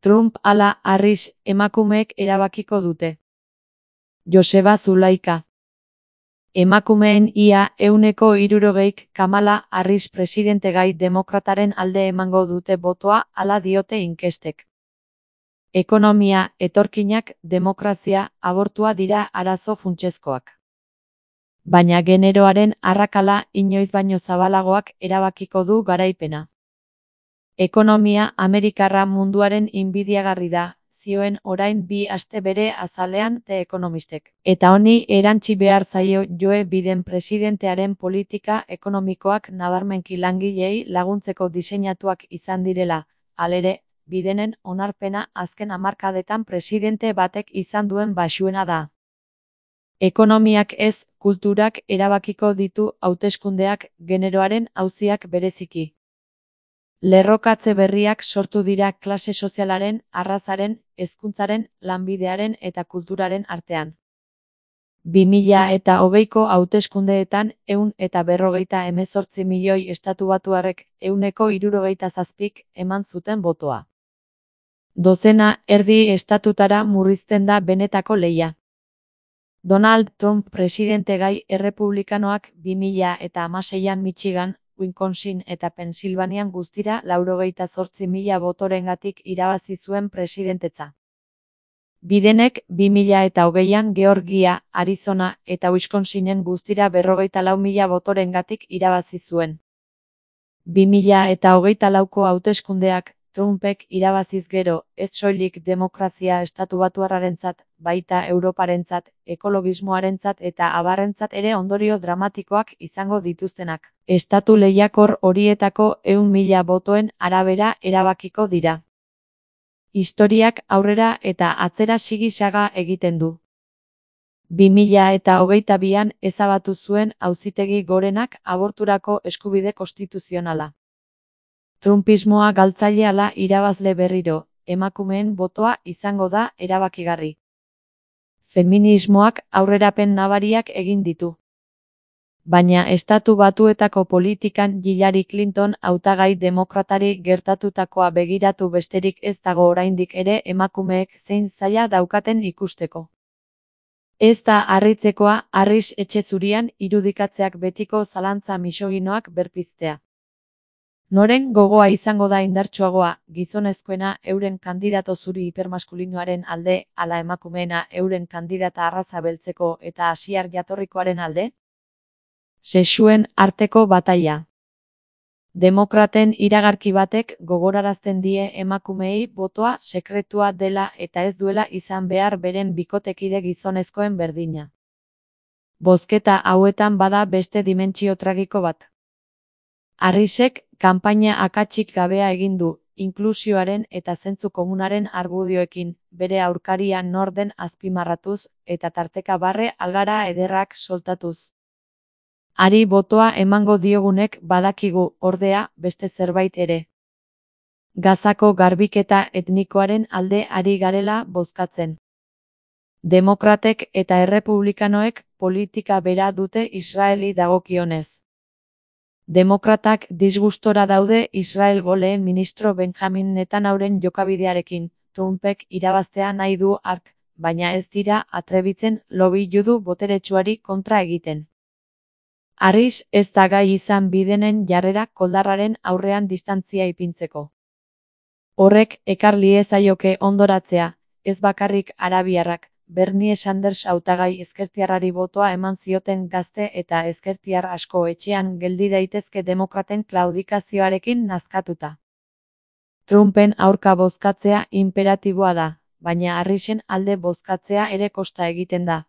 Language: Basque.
Trump ala Harris emakumeek erabakiko dute. Joseba Zulaika. Emakumeen ia 60%k Kamala Harris presidentegai demokrataren alde emango dute botoa hala diote inkestek. Ekonomia, etorkinak, demokrazia, abortua dira arazo funtsezkoak. Baina generoaren arrakala inoiz baino zabalagoak erabakiko du garaipena. Ekonomia amerikarra munduaren inbidiagarri da, zioen orain 2 aste bere azalean The Economistek. Eta honi erantsi behar zaio Joe Biden presidentearen politika ekonomikoak nabarmenki langileei laguntzeko diseinatuak izan direla, halere, Bidenen onarpena azken hamarkadetan presidente batek izan duen baxuena da. Ekonomiak ez, kulturak erabakiko ditu hauteskundeak, generoaren auziak bereziki. Lerrokatze berriak sortu dira klase sozialaren, arrazaren, hezkuntzaren, lanbidearen eta kulturaren artean. 2020ko hauteskundeetan 158 milioi estatubatuarrek 67%k eman zuten botoa. Dozena erdi estatutara murrizten da benetako lehia. Donald Trump presidentegai errepublikanoak 2016an Michigan, Wisconsin eta Pensilvanian guztira 98.000 botorengatik irabazi zuen presidentetza. Bidenek 2020an Georgia, Arizona eta Wisconsinen guztira 54.000 botorengatik irabazi zuen. 2024ko hauteskundeak Trumpek irabaziz gero, ez soilik demokrazia estatubatuarrarentzat, baita Europarentzat, ekologismoarentzat eta abarrentzat ere ondorio dramatikoak izango dituztenak. Estatu lehiakor horietako 100.000 botoen arabera erabakiko dira. Historiak aurrera eta atzera sigi-saga egiten du. 2022an ezabatu zuen Auzitegi Gorenak aborturako eskubide konstituzionala. Trumpismoa galtzaile ala irabazle berriro, emakumeen botoa izango da erabakigarri. Feminismoak aurrerapen nabariak egin ditu. Baina Estatu Batuetako politikan Hillary Clinton hautagai demokratari gertatutakoa begiratu besterik ez dago oraindik ere emakumeek zein zaila daukaten ikusteko. Ez da harritzekoa Harris etxe zurian irudikatzeak betiko zalantza misoginoak berpiztea. Noren gogoa izango da indartsuagoa, gizonezkoena euren kandidato zuri hipermaskulinoaren alde, ala emakumeena euren kandidata arraza beltzeko eta asiar jatorrikoaren alde? Sexuen arteko bataila. Demokraten iragarki batek gogorarazten die emakumeei botoa sekretua dela eta ez duela izan behar beren bikotekide gizonezkoen berdina. Bozketa hauetan bada beste dimentsio tragiko bat. Harrisek kanpaina akatsik gabea egin du, inklusioaren eta zentzu komunaren argudioekin, bere aurkaria nor den azpimarratuz, eta tarteka barre algara ederrak soltatuz. Hari botoa emango diogunek badakigu, ordea, beste zerbait ere. Gazako garbiketa etnikoaren alde ari garela bozkatzen. Demokratek eta errepublikanoek politika bera dute Israeli dagokionez. Demokratak disgustora daude Israelgo lehen ministro Benjamin Netanyauren jokabidearekin, Trumpek irabaztea nahi du hark, baina ez dira atrebitzen lobby judu boteretsuari kontra egiten. Harris ez da gai izan Bidenen jarrera koldarraren aurrean distantzia ipintzeko. Horrek ekar liezaioke ondoratzea, ez bakarrik arabiarrak, Bernie Sanders hautagai ezkertiarrari botoa eman zioten gazte eta ezkertiar asko etxean geldi daitezke demokraten klaudikazioarekin nazkatuta. Trumpen aurka bozkatzea inperatiboa da, baina Harrisen alde bozkatzea ere kosta egiten da.